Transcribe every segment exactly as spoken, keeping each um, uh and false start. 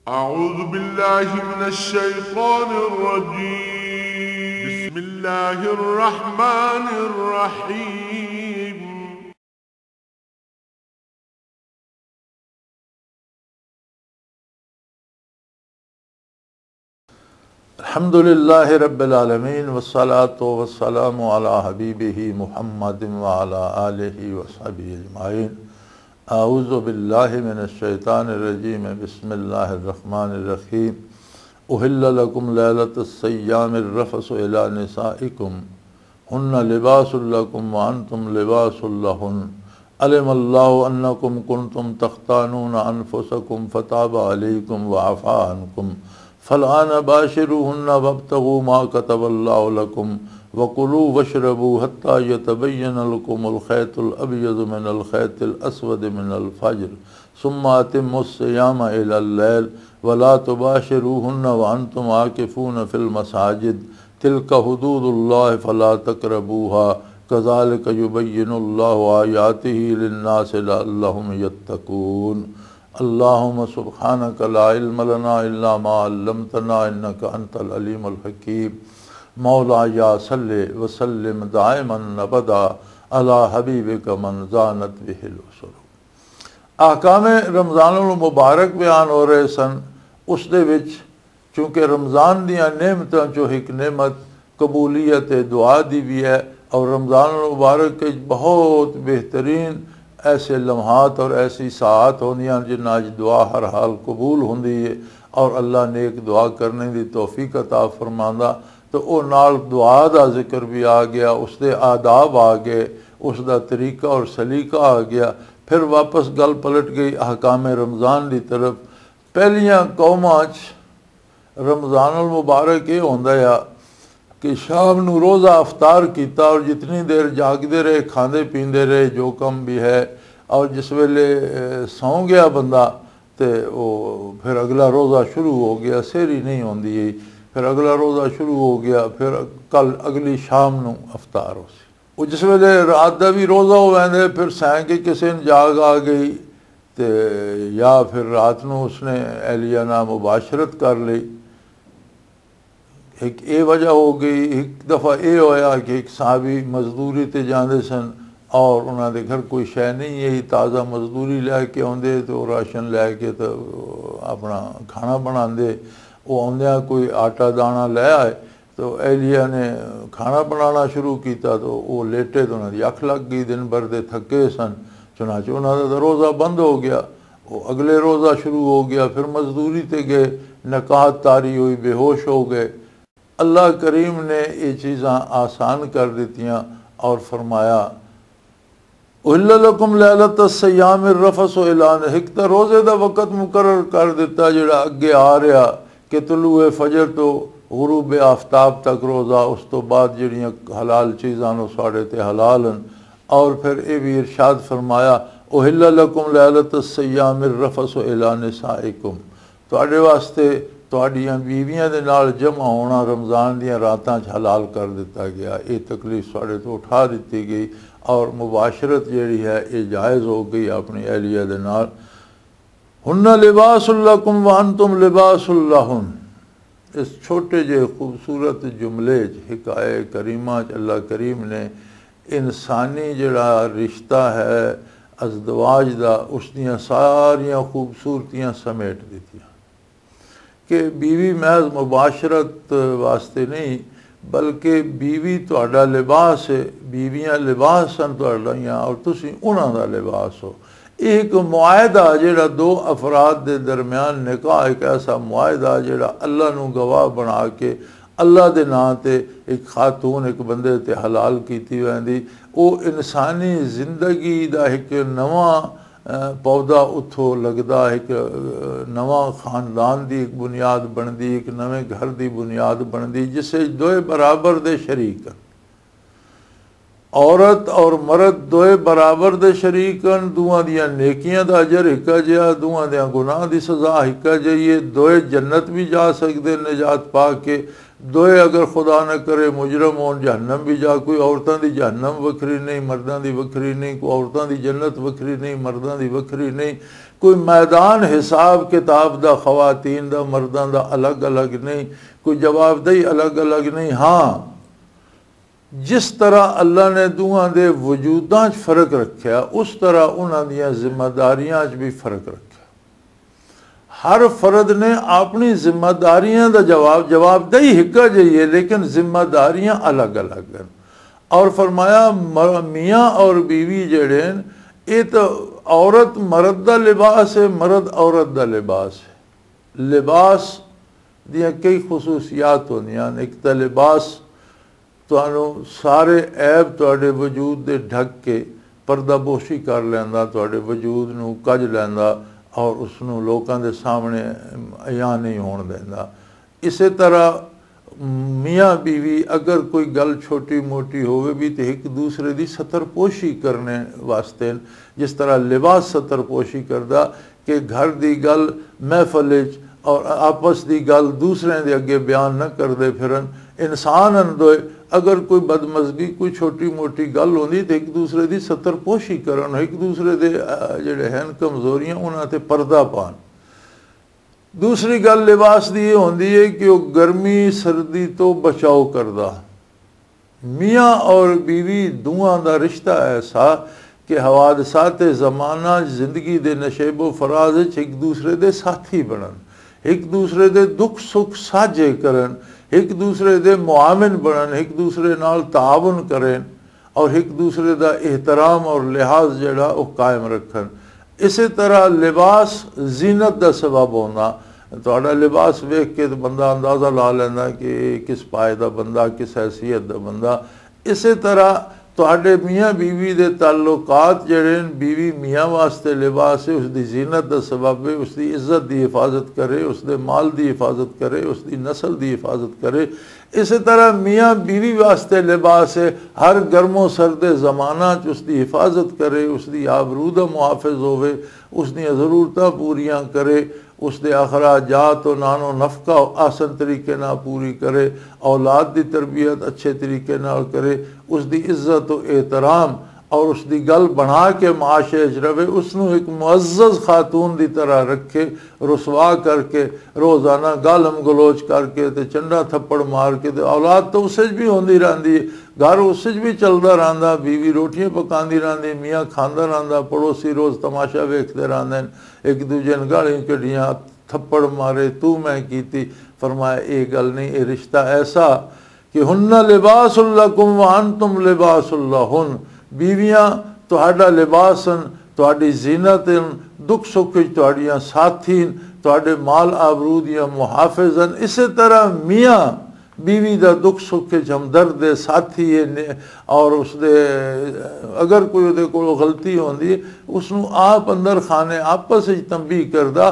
أعوذ بالله من الشيطان الرجيم. بسم الله الرحمن الرحيم. الحمد لله رب العالمين، والصلاة والسلام على حبيبه محمد وعلى آله وصحبه أجمعين. أعوذ بالله من الشيطان الرجيم. بسم الله الرحمن الرحيم. أحل لكم ليلة الصيام الرفث إلى نسائكم، هن لباس لكم وأنتم لباس لهن. علم الله أنكم كنتم تختانون أنفسكم فتاب عليكم وعفا عنكم، فالآن باشروهن وابتغوا ما كتب الله لكم، وكلوا واشربوا حتى يتبين لكم الخيط الأبيض من الخيط الأسود من الفجر، ثم أتموا الصيام إلى الليل، ولا تباشروهن وأنتم عاكفون في المساجد، تلك حدود الله فلا تقربوها، كذلك يبين الله آياته للناس لعلهم يتقون. اللهم سبحانك لا علم لنا إلا ما علمتنا إنك أنت العليم الحكيم. مولاي صل وسلم دائما أبدا على حبيبك من زانت به الأسر. احکام رمضان المبارک بیان ہو رہے سن۔ اس دے وچ چونکہ رمضان دیاں نعمتاں چوں ایک نعمت قبولیت دعا دی بھی ہے، اور رمضان المبارک وچ بہت بہترین ایسے لمحات اور ایسی ساعات ہوندیاں جنہاں وچ دعا ہر حال قبول ہوندی ہے، اور اللہ نیک دعا کرنے دی توفیق عطا فرماندا۔ تو او نال دعا دا ذکر بھی آ گیا، اس دے آداب آ گئے، اس دا طریقہ اور سلیقہ آ گیا۔ پھر واپس گل پلٹ گئی احکام رمضان دی طرف۔ پہلیاں قوماں چ رمضان المبارک یہ ہوندا ہے کہ شام نو روزہ افطار کیتا اور جتنی دیر جاگدے رہے، کھاندے پیندے رہے، جو کم بھی ہے، اور جس ویلے، اے، سو گیا بندہ، تے او پھر اگلا روزہ شروع ہو گیا، سحری نہیں ہوندی۔ پھر اگلا روزہ شروع ہو گیا، پھر کل اگلی شام نو افطار ہو سی۔ وہ جس ویلے رات دا بھی روزہ ہو ویندے، پھر سائیں کے کسے نے جاگ آ گئی، تے یا پھر رات نو اس نے اہلیہ نال مباشرت کر لی۔ ایک اے وجہ ہو گئی۔ ایک دفعہ اے ہویا کہ ایک صحابی مزدوری تے جاندے سن اور انہاں دے گھر کوئی شے نہیں ہے، تازہ مزدوری لے کے آندے تے او راشن لے کے تے اپنا کھانا بناندے۔ او آندیاں کوئی آٹا دانا لے آئے، تو اہلیہ نے کھانا بنانا شروع کیتا تو وہ لیٹے تو انہاں دی اکھ لگ گئی، دن بھر دے تھکے سن۔ چنانچہ انہاں دا روزہ بند ہو گیا۔ وہ اگلے روزہ شروع ہو گیا، پھر مزدوری تے گئے، نکاحت طاری ہوئی، بے ہوش ہو گئے۔ اللہ کریم نے یہ چیزاں آسان کر دتیاں اور فرمایا، احل لکم لیلۃ الصیام الرفث الی نساء، ایک تاں روزے دا وقت مقرر کر دتا جڑا اگے آ رہا کہ طلوع فجر تو غروب آفتاب تک روزہ، اس تو بعد جڑیاں حلال چیزاں نو ساڑے تے حلال ہیں۔ اور پھر اے بھی ارشاد فرمایا، احل لکم لیلۃ الصیام الرفث الی نسائکم، تہاڈے واسطے تہاڈیاں بیویاں دے نال جمع ہونا رمضان دیاں راتاں چ حلال کر دتا گیا۔ یہ تکلیف ساڈے تو اٹھا دتی گئی اور مباشرت جیڑی ہے، یہ جائز ہو گئی اپنی اہلیہ دے نال۔ ہن لباس لکم وانتم لباس لہن۔ اس چھوٹے جے خوبصورت جملے چ، حکایہ کریمہ چ اللہ کریم نے انسانی جڑا رشتہ ہے ازدواج دا، اس دیاں ساریاں خوبصورتیاں سمیٹ دتیاں۔ کہ بیوی محض مباشرت واسطے نہیں، بلکہ بیوی تہاڈا لباس ہے، بیویاں لباس سن تہاڈیاں اور تسی انہاں دا لباس ہو۔ یہ ایک معاہدہ جڑا دو افراد دے درمیان، نکاح ایک ایسا معاہدہ جڑا اللہ نو گواہ بنا کے اللہ دے نام تے ایک خاتون ایک بندے تے حلال کیتی ویندی۔ او انسانی زندگی دا ایک نواں، اے، پودا اتھوں لگدا، ایک، اے، نواں خاندان دی ایک بنیاد بندی، ایک نویں گھر دی بنیاد بندی، جس وچ دوئے برابر دے شریک ہن۔ عورت اور مرد دوئے برابر دے شریک ہن، دوواں دیاں نیکیاں دا اجر ہکا جیا، دوواں دیاں گناہ دی سزا ہکا جئی ہے، دوئے جنت بھی جا سکدے نجات پا کے۔ دوئے اگر خدا نہ کرے مجرم ہون، جہنم بھی جا، کوئی عورتاں دی جہنم وکھری نہیں، مرداں دی وکھری نہیں، کوئی عورتاں دی جنت وکھری نہیں، مرداں دی وکھری نہیں، کوئی میدان حساب کتاب دا خواتین دا مرداں دا الگ الگ نہیں، کوئی جوابدہی الگ الگ نہیں۔ ہاں، جس طرح اللہ نے دوواں دے وجوداں 'چ فرق رکھیا، اس طرح انہاں دیاں ذمہ داریاں 'چ بھی فرق رکھیا۔ ہر فرد نے اپنی ذمہ داریاں دا جواب، جوابدہی ہکا جہی ہے، لیکن ذمہ داریاں الگ الگ ہیں۔ اور فرمایا، مر-، میاں اور بیوی جڑے ہیں، یہ تو عورت مرد دا لباس ہے، مرد عورت دا لباس ہے۔ لباس دیاں کئی خصوصیات ہوندیاں نے۔ ایک تاں لباس تانوں سارے عیب تہاڈے وجود دے ڈھک کے پردہ پوشی کر لیندا، تہاڈے وجود نوں کج لیندا اور اس نوں لوکاں دے سامنے عیاں نہیں ہون دیندا۔ اسے طرح میاں بیوی اگر کوئی گل چھوٹی موٹی ہووے بھی تے ایک دوسرے دی ستر پوشی کرنے واسطے، جس طرح لباس ستر پوشی کردا، کہ گھر دی گل محفل وچ اور آپس دی گل دوسرے دے اگے بیان نہ کردے پھرن۔ انسان ہن دوئے، اگر کوئی بدمزگی، کوئی چھوٹی موٹی گل ہوندی تے ایک دوسرے دی ستر پوشی کرن، ایک دوسرے دے، آ، جڑے ہن کمزوریاں، انہاں تے پردہ پان۔ دوسری گل لباس دی یہ ہوندی ہے کہ وہ گرمی سردی تو بچاؤ کردا۔ میاں اور بیوی دوواں دا رشتہ ایسا کہ حوادثات زمانہ زندگی دے نشیب و فراز وچ ایک دوسرے دے ساتھی بنن، ایک دوسرے دے دکھ سکھ ساجھے کرن، ایک دوسرے دے معاون بنن، ایک دوسرے نال تعاون کرن اور ایک دوسرے دا احترام اور لحاظ جڑا وہ قائم رکھن۔ اسی طرح لباس زینت دا سبب ہونا۔ تہاڈا لباس ویکھ کے تے بندہ اندازہ لا لیندا کہ یہ کس پائے دا بندہ، کس حیثیت دا بندہ۔ اسی طرح تہاڈے میاں بیوی دے تعلقات جڑے ہیں، بیوی میاں واسطے لباس ہے، اس دی زینت دا سبب ہے، اس دی عزت دی حفاظت کرے، اس دے مال دی حفاظت کرے، اس دی نسل دی حفاظت کرے۔ اسی طرح میاں بیوی واسطے لباس ہے، ہر گرم و سرد زمانہ چ اس دی حفاظت کرے، اس دی آبرو دا محافظ ہووے، اس دیاں ضرورتاں پوریاں کرے، اس دے اخراجات و نان و نفقہ آسن طریقے نال پوری کرے، اولاد دی تربیت اچھے طریقے نال کرے، اس دی عزت و احترام اور اس دی گل بنا کے معاشرے وچ رہے، اس نوں ایک معزز خاتون دی طرح رکھے، رسوا کر کے، روزانہ گالم گلوچ کر کے تے چنڈا تھپڑ مار کے تے اولاد تو اس وچ بھی ہوندی رہندی ہے، گھر اس وچ بھی چلدا رہندا، بیوی روٹیاں پکاندی رہندی، میاں کھاندا رہندا، پڑوسی روز تماشا ویکھدے رہندے نے، ایک دوجے نے گالیاں کڈیاں، تھپڑ مارے، تو میں کیتی۔ فرمایا، اے گل نہیں، اے رشتہ ایسا کہ ہن لباس لکم وانتم لباس لہن، بیویاں تہاڈا لباس ہن، تہاڈی زینت ہن، دکھ سکھ وچ تہاڈیاں ساتھی ہن، تہاڈے مال آبرو دیاں محافظ ہن۔ اسی طرح میاں بیوی دا دکھ سکھ وچ ہمدرد ہے، ساتھی ہے، نے-، اور اس دے اگر کوئی دے کول غلطی ہوندی ہے، اس نوں آپ اندر خانے آپس وچ تنبیہ کردا،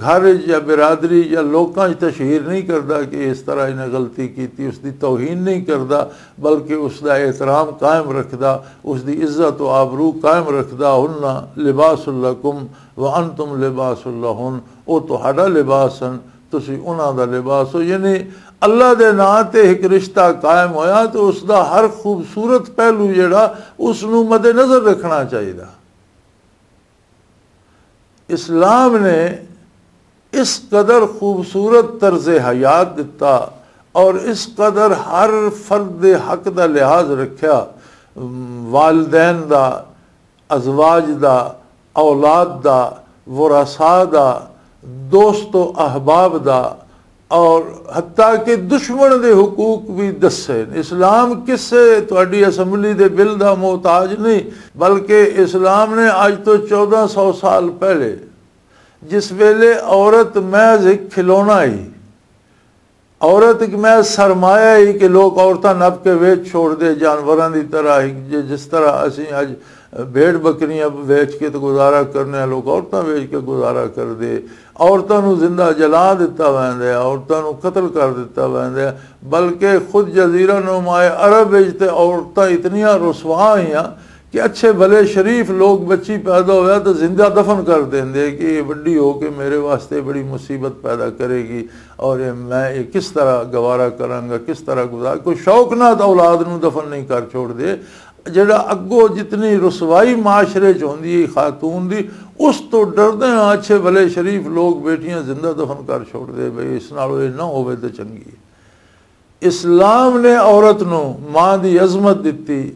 گھر وچ یا برادری یا لوکاں وچ تشہیر نہیں کردا کہ اس طرح انہیں غلطی کیتی، اس دی توہین نہیں کردا، بلکہ اس دا احترام قائم رکھدا، اس دی عزت و آبرو قائم رکھدا۔ ہن لباس لکم وانتم لباس لہن، او تہاڈا لباس ہن، تسی انہاں دا لباس ہو۔ یعنی اللہ دے ناں تے ایک رشتہ قائم ہویا تو اس دا ہر خوبصورت پہلو جڑا، اس نوں مد نظر رکھنا چاہیے۔ اسلام نے اس قدر خوبصورت طرز حیات دتا اور اس قدر ہر فرد دے حق دا لحاظ رکھیا، والدین دا، ازواج دا، اولاد دا، ورثاء دا، دوست و احباب دا، اور حتیٰ کہ دشمن دے حقوق بھی دسے۔ اسلام کسے تہاڈی اسمبلی دے بل دا محتاج نہیں، بلکہ اسلام نے اج تو چودہ سو سال پہلے، جس ویلے عورت محض ایک کھلونا ہی، عورت ایک محض سرمایہ ہی کہ لوگ عورتاں نپ کے ویچ چھوڑ دے، جانوراں دی طرح ہی، جے جس طرح اسی اج بھیڑ بکریاں ویچ کے تے گزارا کرنے ہیں، لوگ عورتاں ویچ کے گزارا کر دے، عورتاں نو زندہ جلا دتا ویندا ہے، عورتاں نو قتل کر دتا ویندا ہے، بلکہ خود جزیرہ نما عرب وچ تے عورتاں اتنیاں رسوا ہوئیاں کہ اچھے بھلے شریف لوگ، بچی پیدا ہویا تو زندہ دفن کر دیندے کہ یہ وڈی ہو کے میرے واسطے بڑی مصیبت پیدا کرے گی، اور یہ، میں یہ کس طرح گوارا کراں گا، کس طرح گزار، کوئی شوق نہ تو اولاد نو دفن نہیں کر چھوڑ دے۔ جڑا اگوں جتنی رسوائی معاشرے چ ہوندی ہے خاتون دی، اس تو ڈردے ہاں اچھے بھلے شریف لوگ بیٹیاں زندہ دفن کر چھوڑ دے، بھئی اس نال یہ نہ ہوے تو چنگی ہے۔ اسلام نے عورت نو ماں دی عظمت دتی،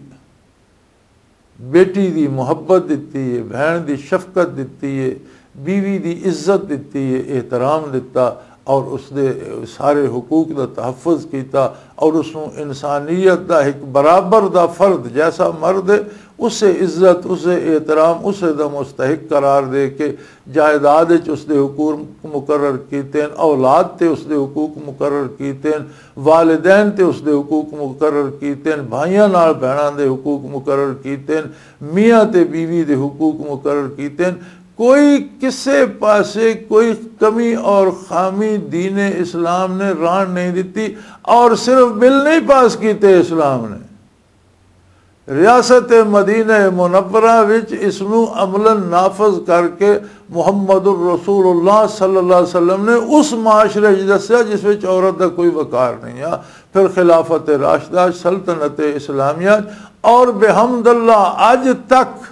بیٹی دی محبت دتی ہے، بہن دی شفقت دتی ہے، بیوی دی عزت دتی ہے، احترام دتا، اور اس دے سارے حقوق دا تحفظ کیتا، اور اس نوں انسانیت دا ایک برابر دا فرد، جیسا مرد ہے، اسے عزت، اسے احترام، اسے دا مستحق قرار دے کے جائیداد وچ اس دے حقوق مقرر کیتے ہیں، اولاد تے اس دے حقوق مقرر کیتے ہیں، والدین تے اس دے حقوق مقرر کیتے ہیں، بھائیاں نال بہناں دے حقوق مقرر کیتے ہیں، میاں تے بیوی دے حقوق مقرر کیتے ہیں۔ کوئی کسے پاسے کوئی کمی اور خامی دین اسلام نے ران نہیں دتی، اور صرف بل نہیں پاس کیتے اسلام نے، ریاست مدینہ منورہ وچ اس نو عملاً نافذ کر کے محمد الرسول اللہ صلی اللہ علیہ وسلم نے اس معاشرے وچ دسیا جس وچ عورت دا کوئی وقار نہیں آ۔ پھر خلافت راشدہ، سلطنت اسلامیہ، اور بحمد اللہ اج تک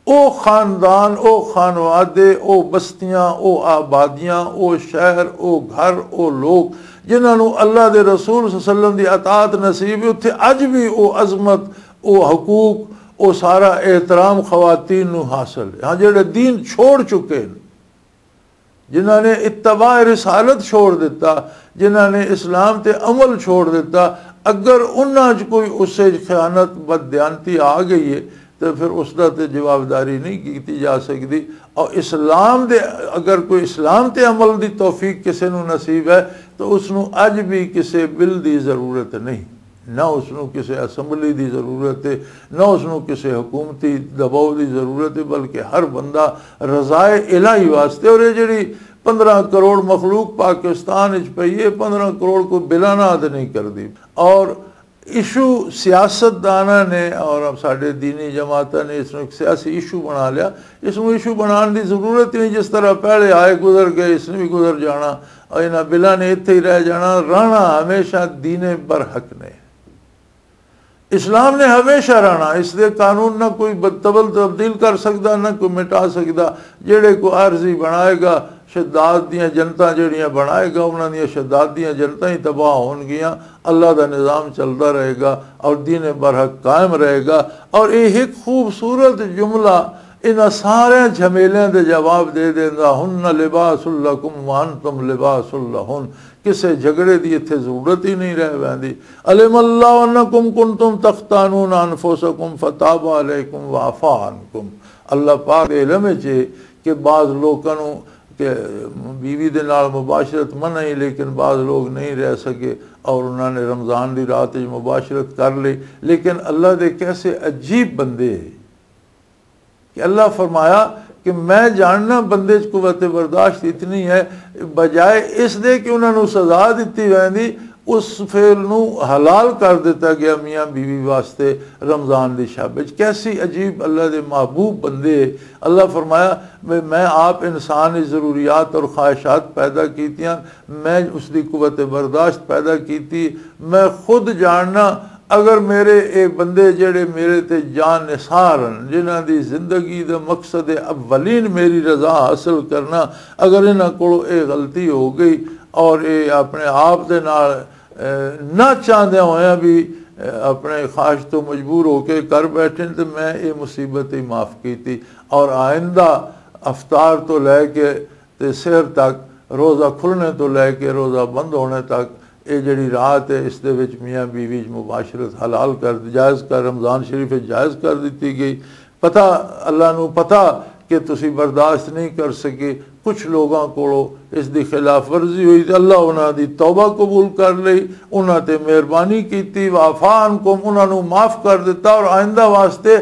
او خاندان، او خانوادے، او بستیاں، او آبادیاں، او شہر، او گھر، او لوگ جنہاں نوں اللہ دے رسول صلی اللہ علیہ وسلم دی اطاعت نصیب ہے، اتھے اج بھی او عظمت، او حقوق، او سارا احترام خواتین نوں حاصل ہے۔ ہاں، جڑے دین چھوڑ چکے ہیں، جنہاں نے اتباع رسالت چھوڑ دیتا، جنہاں نے اسلام تے عمل چھوڑ دیتا، اگر انہاں چ کوئی اس وچ خیانت، بددیانتی آ گئی ہے، تو پھر اس دا تے جوابداری نہیں کیتی جا سکتی۔ اور اسلام دے، اگر کوئی اسلام تے عمل دی توفیق کسے نو نصیب ہے، تو اس نو اج بھی کسے بل دی ضرورت نہیں، نہ اس نو کسے اسمبلی دی ضرورت ہے، نہ اس نو کسے حکومتی دباؤ دی ضرورت ہے، بلکہ ہر بندہ رضائے الہی واسطے۔ اور یہ جڑی پندرہ کروڑ مخلوق پاکستان وچ پئی ہے، پندرہ کروڑ کوئی بلاں نال تے نہیں کردی۔ اور ایشو سیاست داناں نے اور ساڈے دینی جماعتاں نے اس نوں ایک سیاسی ایشو بنا لیا۔ اس نوں ایشو بنان دی ضرورت ہی نہیں، جس طرح پہلے آئے گزر گئے، اس نے بھی گزر جانا، اور انہاں بلاں نے اتھے ہی رہ جانا۔ رہنا ہمیشہ دین برحق نے، اسلام نے ہمیشہ رہنا، اس دے قانون نہ کوئی بد-، تبل تبدیل کر سکدا، نہ کوئی مٹا سکدا۔ جڑے کوئی عارضی بنائے گا، شداد دیاں جنتاں جڑیاں بنائے گا، انہاں دیاں شداد دیاں جنتاں ہی تباہ ہون گیاں۔ اللہ دا نظام چلدا رہے گا اور دین برحق قائم رہے گا۔ اور یہ ایک خوبصورت جملہ انہاں سارے جھمیلیاں دے جواب دے دیندا، "ہن لباس لکم وانتم لباس لہن۔" کسے جھگڑے دی اتھے ضرورت ہی نہیں رہ ویندی۔ "علم اللہ انکم کنتم تختانون انفسکم فتاب علیکم وعفا عنکم۔" اللہ پاک دے علم وچ ہے کہ بعض لوکاں نوں کہ بیوی دے نال مباشرت منع ہی، لیکن بعض لوگ نہیں رہ سکے اور انہاں نے رمضان دی رات وچ مباشرت کر لی۔ لیکن اللہ دے کیسے عجیب بندے ہیں کہ اللہ فرمایا کہ میں جاننا بندے چ قوت برداشت اتنی ہے، بجائے اس دے کہ انہاں نوں سزا دتی ویندی، اس فعل نوں حلال کر دتا گیا میاں بیوی واسطے رمضان دی شب وچ۔ کیسی عجیب اللہ دے محبوب بندے۔ اللہ فرمایا، میں، میں آپ انسان دی ضروریات اور خواہشات پیدا کیتیاں، میں اس دی قوت برداشت پیدا کیتی۔ میں خود جاننا، اگر میرے اے بندے جڑے میرے تے جان نثار ہن، جنہاں دی زندگی دا مقصد اولین میری رضا حاصل کرنا، اگر انہاں کولوں اے غلطی ہو گئی اور اے اپنے آپ دے نال، اے، نہ چاہندے ہوئے بھی، اے، اپنے خواہش تو مجبور ہو کے کر بیٹھے، تو میں اے مصیبت ہی معاف کیتی۔ اور آئندہ افطار تو لے کے تے سحر تک، روزہ کھلنے تو لے کے روزہ بند ہونے تک، اے جڑی رات ہے، اس دے وچ میاں بیوی وچ مباشرت حلال کر، جائز کر، رمضان شریف وچ جائز کر دتی گئی۔ پتہ، اللہ نو پتہ کہ تسی برداشت نہیں کر سکے۔ کچھ لوگاں کولوں اس دی خلاف ورزی ہوئی تے اللہ انہاں دی توبہ قبول کر لئی، انہاں تے مہربانی کیتی، وعفا عنکم، انہاں نو معاف کر دتا اور آئندہ واسطے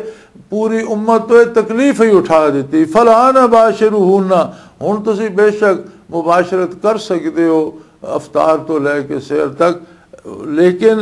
پوری امت تو یہ تکلیف ہی اٹھا دیتی۔ فالآن باشروہن، ہن تسی بے شک مباشرت کر سکدے ہو افطار تو لے کے سحر تک، لیکن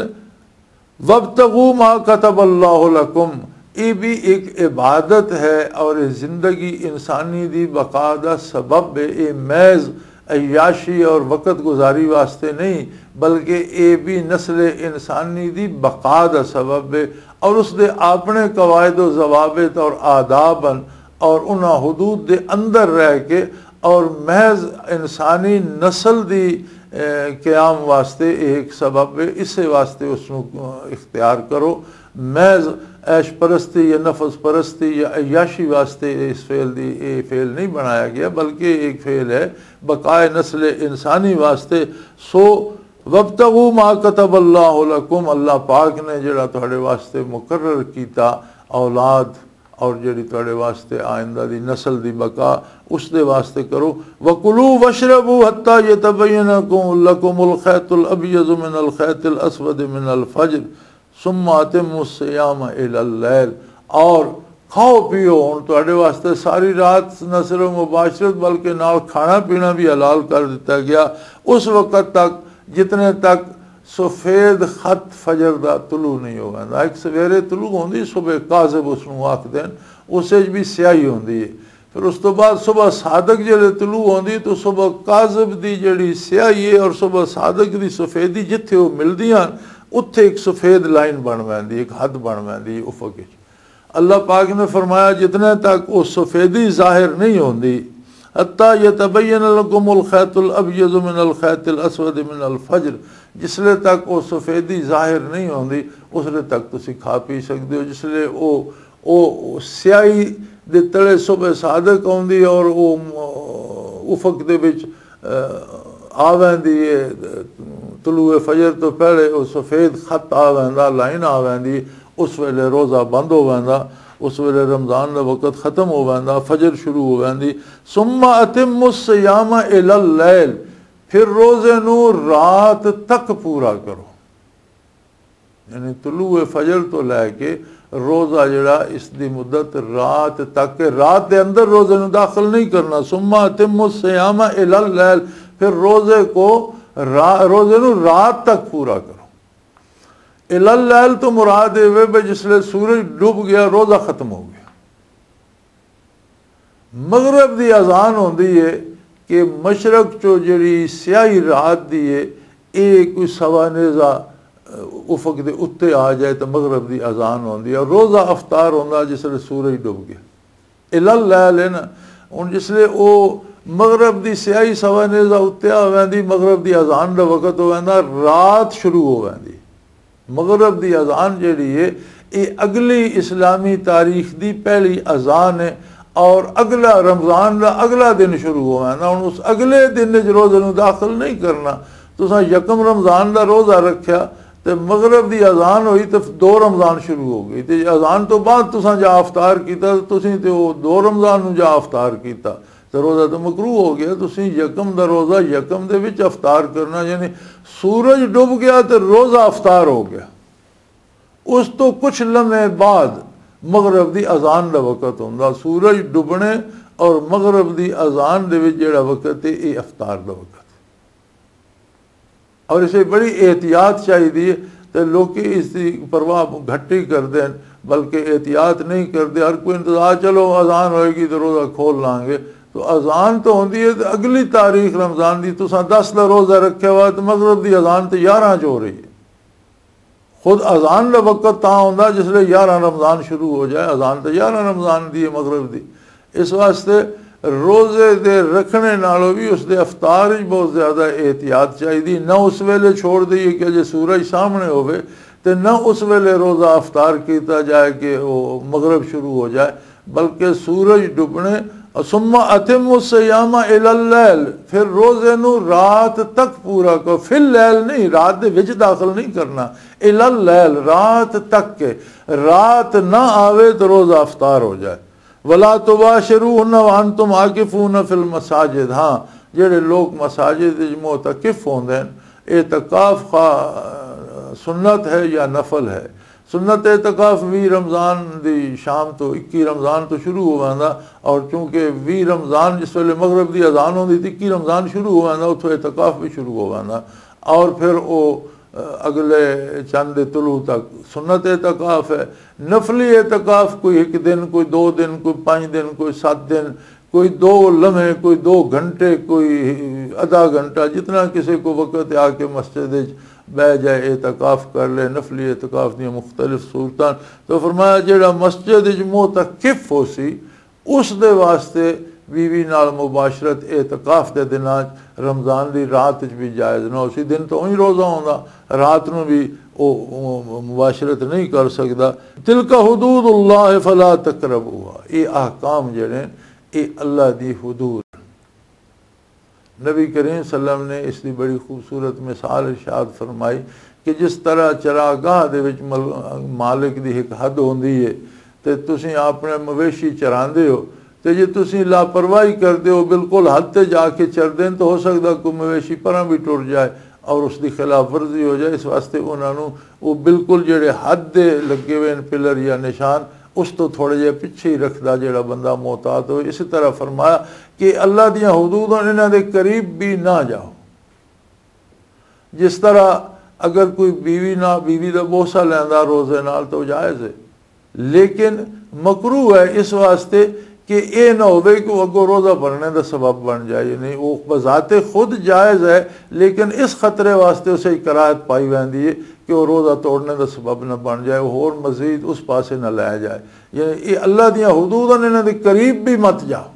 وابتغوا ما كتب الله لكم، یہ بھی ایک عبادت ہے اور یہ زندگی انسانی دی بقا دا سبب ہے۔ یہ محض عیاشی اور وقت گزاری واسطے نہیں، بلکہ یہ بھی نسل انسانی دی بقا دا سبب ہے اور اس دے اپنے قواعد و ضوابط اور آداب ہیں، اور انہاں حدود دے اندر رہ کے اور محض انسانی نسل دی، اے، قیام واسطے ایک سبب ہے۔ اسے واسطے اس نو، اے، اختیار کرو۔ محض عیش پرستی یا نفس پرستی یا عیاشی واسطے اس فعل دی، اے فعل نہیں بنایا گیا، بلکہ ایک فعل ہے بقائے نسل انسانی واسطے۔ سو وابتغوا ما كتب الله لكم، اللہ پاک نے جڑا تہاڈے واسطے مقرر کیتا اولاد اور جڑی تہاڈے واسطے آئندہ دی نسل دی بقا، اس دے واسطے کرو۔ وَكُلُوا وَاشْرَبُوا حَتَّى يَتَبَيَّنَ لَكُمُ الْخَيْطُ الْأَبْيَضُ مِنَ الْخَيْطِ الْأَسْوَدِ مِنَ الْفَجْرِ ثُمَّ أَتِمُّوا الصِّيَامَ إِلَى اللَّيْلِ۔ اور کھاؤ پیو، ہن تہاڈے واسطے ساری رات نہ صرف مباشرت بلکہ نال کھانا پینا بھی حلال کر دتا گیا، اس وقت تک جتنے تک سفید خط فجر دا طلوع نہیں ہو ویندا۔ ایک سویرے طلوع ہوندی، صبح کاذب اس نوں آکھدے ہن، اس وچ بھی سیاہی ہوندی ہے۔ پھر اس تو بعد صبح صادق جڑے طلوع ہوندی تو صبح کاذب دی جڑی سیاہی ہے اور صبح صادق دی سفیدی جتھے وہ ملدیاں ہن، اتھے ایک سفید لائن بن ویندی، ایک حد بن ویندی ہے افق وچ۔ اللہ پاک نے فرمایا، جتنے تک وہ سفیدی ظاہر نہیں ہوندی، حتیٰ یتبین لکم الخیط الابیض من الخیط الاسود من الفجر، جس لے تک وہ سفیدی ظاہر نہیں ہوندی، اس لے تک تسی کھا پی سکدے ہو۔ جس لے وہ، وہ سیاہی دے تلے صبح صادق آندی اور وہ افق دے وچ آ ویندی ہے، طلوع فجر تو پہلے وہ سفید خط آ ویندا، لائن آ ویندی، اس ویلے روزہ بند ہو ویندا، اس ویلے رمضان دا وقت ختم ہو ویندا، فجر شروع ہو ویندی۔ ثم اتم الصیام الی اللیل، پھر روزے نو رات تک پورا کرو۔ یعنی طلوع فجر تو لے کے روزہ جڑا، اس دی مدت رات تک ہے، رات دے اندر روزے نو داخل نہیں کرنا۔ ثم اتم الصیام الی اللیل، پھر روزے کو را-، روزے نو رات تک پورا کرو۔ الی اللیل تو مراد یہ وے بھئی جس لے سورج ڈوب گیا، روزہ ختم ہو گیا۔ مغرب دی اذان ہوندی ہے کہ مشرق چو جڑی سیاہی رات دی ہے، اے کوئی سوا نیزہ، اہ، افق دے اُتے آ جائے تو مغرب دی اذان ہوندی ہے۔ روزہ افطار ہوندا جس لے سورج ڈوب گیا۔ الی اللیل ہے نا، ہن جس لے او مغرب دی سیاہی سوا نیزہ اُتے آ ویندی، مغرب دی اذان دا وقت ہو ویندا، رات شروع ہو ویندی۔ مغرب دی اذان جیڑی ہے، یہ اگلی اسلامی تاریخ دی پہلی اذان ہے، اور اگلا رمضان دا اگلا دن شروع ہو ویندا۔ ہن اس اگلے دن وچ روزے نوں داخل نہیں کرنا۔ تساں یکم رمضان دا روزہ رکھیا تے مغرب دی اذان ہوئی تے دو رمضان شروع ہو گئی، تے اذان تو بعد تساں جا افطار کیتا، تے تسیں تے او دو رمضان نوں جا افطار کیتا۔ تے روزہ تو مکروہ ہو گیا۔ تسی یکم دا روزہ یکم دے وچ افطار کرنا، یعنی سورج ڈب گیا تے روزہ افطار ہو گیا۔ اس تو کچھ لمحے بعد مغرب دی اذان دا وقت ہوندا۔ سورج ڈبنے اور مغرب دی اذان دے وچ جڑا وقت ہے، یہ افطار دا وقت ہے۔ اور اسے بڑی احتیاط چاہیے، تے لوکی اس دی پرواہ گھٹ ہی کردے ہیں، بلکہ احتیاط نہیں کردے۔ ہر کوئی انتظار، چلو اذان ہوئے گی تو روزہ کھول لانگے۔ تو اذان تو ہوندی ہے تے اگلی تاریخ رمضان دی، تساں دس دا روزہ رکھیا ہوا تے مغرب دی اذان تے یارہ چ ہو رہی ہے۔ خود اذان دا وقت تاں ہوندا جس لے یارہ رمضان شروع ہو جائے، اذان تے یارہ رمضان دی ہے مغرب دی۔ اس واسطے روزے دے رکھنے نالوں بھی اس دے افطار وچ بہت زیادہ احتیاط چاہیے۔ نہ اس ویلے چھوڑ دئیے کہ اجے سورج سامنے ہوے، تے نہ اس ویلے روزہ افطار کیتا جائے کہ وہ مغرب شروع ہو جائے، بلکہ سورج ڈبنے۔ ثم اتم الصیام الی اللیل، پھر روزے نو رات تک پورا کرو۔ فی اللیل نہیں، رات دے وچ داخل نہیں کرنا۔ الی اللیل، رات تک کے، رات نہ آوے تو روزہ افطار ہو جائے۔ ولا تباشروهن وانتم عاکفون فی المساجد۔ ہاں، جڑے لوگ مساجد وچ معتکف ہوندے ہیں، اعتکاف خواہ سنت ہے یا نفل ہے؟ سنت اعتکاف وی رمضان دی شام تو، اکی رمضان تو شروع ہو ویندا، اور چونکہ وی رمضان جس ویلے مغرب دی اذان ہوندی تے اکی رمضان شروع ہو ویندا، اتھوں اعتکاف بھی شروع ہو ویندا۔ اور پھر او اگلے چند طلوع تک۔ سنت اعتکاف ہے، نفلی اعتکاف، کوئی ایک دن، کوئی دو دن، کوئی پانچ دن، کوئی سات دن، کوئی دو لمحے، کوئی دو گھنٹے، کوئی آدھا گھنٹہ، جتنا کسی کو وقت ہے، آ کے مسجد وچ بہ جائے، اعتکاف کر لے۔ نفلی اعتکاف دیاں مختلف صورتاں۔ تو فرمایا، جڑا مسجد وچ معتکف ہو سی، اس دے واسطے بیوی نال مباشرت اعتکاف دے دناں چ، رمضان دی رات چ بھی جائز نہ ہو سی۔ دن تو اونج روزہ ہوندا، رات نو بھی او، او مباشرت نہیں کر سکدا۔ تلک حدود اللہ فلا تقربوها، یہ احکام جڑے، یہ اللہ دی حدود۔ نبی کریم صلی اللہ علیہ وسلم نے اس دی بڑی خوبصورت مثال ارشاد فرمائی کہ جس طرح چراگاہ دے وچ مل-، مالک دی ایک حد ہوندی ہے، تے تسی اپنے مویشی چراندے ہو، تے جے تسی لاپرواہی کردے ہو، بالکل حد تے جا کے چردے ہیں، تو ہو سکدا کوئی مویشی پراں بھی ٹر جائے اور اس دی خلاف ورزی ہو جائے۔ اس واسطے انہاں نوں وہ بالکل جڑے حد دے لگے ہوئے ہیں پلر یا نشان، اس تو تھوڑے جے پچھے ہی رکھدا جڑا بندہ محتاط ہوئے۔ اسی طرح فرمایا کہ اللہ دیاں حدود ہن، انہاں دے قریب بھی نہ جاؤ۔ جس طرح اگر کوئی بیوی نہ، بیوی دا بوسہ لیندا روزے نال تو جائز ہے، لیکن مکروہ ہے اس واسطے کہ اے نہ ہوئے کہ وہ اگوں روزہ بھرنے دا سبب بن جائے۔ یعنی وہ بذات خود جائز ہے، لیکن اس خطرے واسطے اسے کراہت پائی ویندی ہے کہ وہ روزہ توڑنے دا سبب نہ بن جائے، وہ ہور مزید اس پاسے نہ لے جائے۔ یعنی یہ اللہ دیاں حدود ہیں، انہاں دے قریب بھی مت جاؤ۔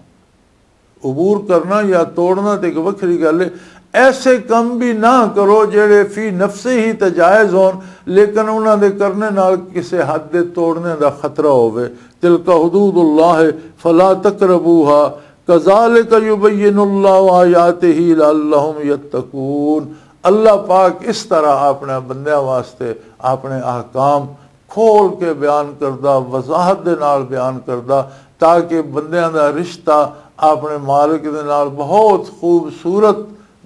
عبور کرنا یا توڑنا تے ایک وکھری گل ہے۔ ایسے کم بھی نہ کرو جڑے فی نفسے ہی تے جائز ہون، لیکن انہاں دے کرنے نال کسے حد دے توڑنے دا خطرہ ہووے۔ تلک حدود اللہ فلا تقربوها کذالک یبین اللہ آیاتہ لعلہم یتقون۔ اللہ پاک اس طرح اپنے بندیاں واسطے اپنے احکام کھول کے بیان کردا، وضاحت دے نال بیان کردا، تاکہ بندیاں دا رشتہ اپنے مالک دے نال بہت خوبصورت،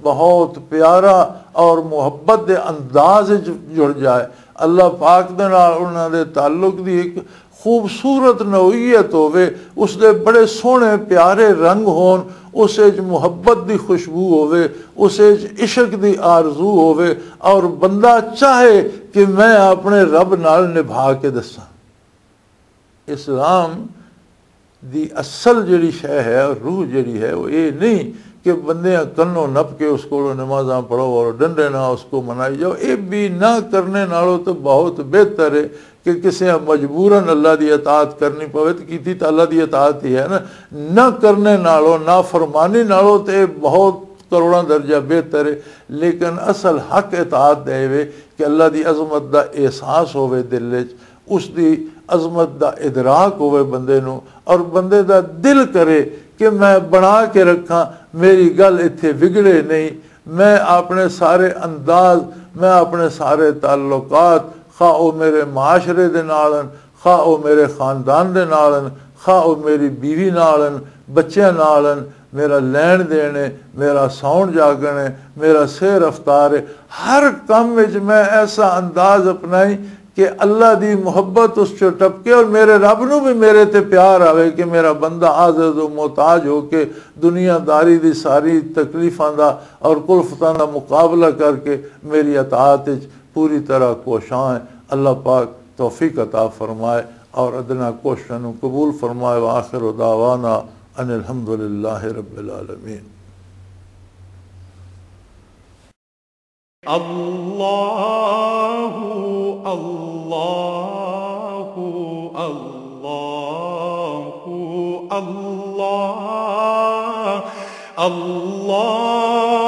بہت پیارا اور محبت دے انداز وچ جڑ جائے۔ اللہ پاک دے نال انہاں دے تعلق دی ایک خوبصورت نوعیت ہووے، اس دے بڑے سوہنے پیارے رنگ ہون، اس وچ محبت دی خوشبو ہووے، اس وچ عشق دی آرزو ہووے، اور بندہ چاہے کہ میں اپنے رب نال نبھا کے دساں۔ اسلام دی اصل جڑی شے ہے، روح جڑی ہے، وہ یہ نہیں کہ بندیاں کنوں نپ کے اس کو نمازاں پڑھو اور ڈنڈے نہ اس کو منائی جاؤ۔ یہ بھی نہ کرنے نالوں تو بہت بہتر ہے کہ کسے مجبوراً اللہ دی اطاعت کرنی پوے، تو کیتی تو اللہ دی اطاعت ہی ہے نا۔ نہ کرنے نالوں، نافرمانی نالوں تے بہت کروڑاں درجہ بہتر ہے۔ لیکن اصل حق اطاعت دے وے کہ اللہ دی عظمت دا احساس ہووے دل وچ، اس دی عظمت دا ادراک ہووے بندے نوں، اور بندے دا دل کرے کہ میں بنا کے رکھاں، میری گل اتھے وگڑے نہیں، میں اپنے سارے انداز، میں اپنے سارے تعلقات، خواہ او میرے معاشرے دے نال ہن، خواہ او میرے خاندان دے نال ہن، خواہ او میری بیوی نال ہن، بچیاں نال ہن، میرا لین دین ہے، میرا ساؤن جاگن ہے، میرا سیر رفتار ہے، ہر کم وچ میں ایسا انداز اپنائی کہ اللہ دی محبت اس چوں ٹپکے اور میرے رب نو بھی میرے تے پیار آوے کہ میرا بندہ عاجز و محتاج ہو کے، دنیا داری دی ساری تکلیفاں دا اور کلفتاں دا مقابلہ کر کے میری اطاعت وچ پوری طرح کوشاں ہے۔ اللہ پاک توفیق عطا فرمائے اور ادنا کوششاں نو قبول فرمائے۔ وآخر دعوانا ان الحمدللہ رب العالمین۔ اللہ، اللہ، اللہ، اللہ، اللہ۔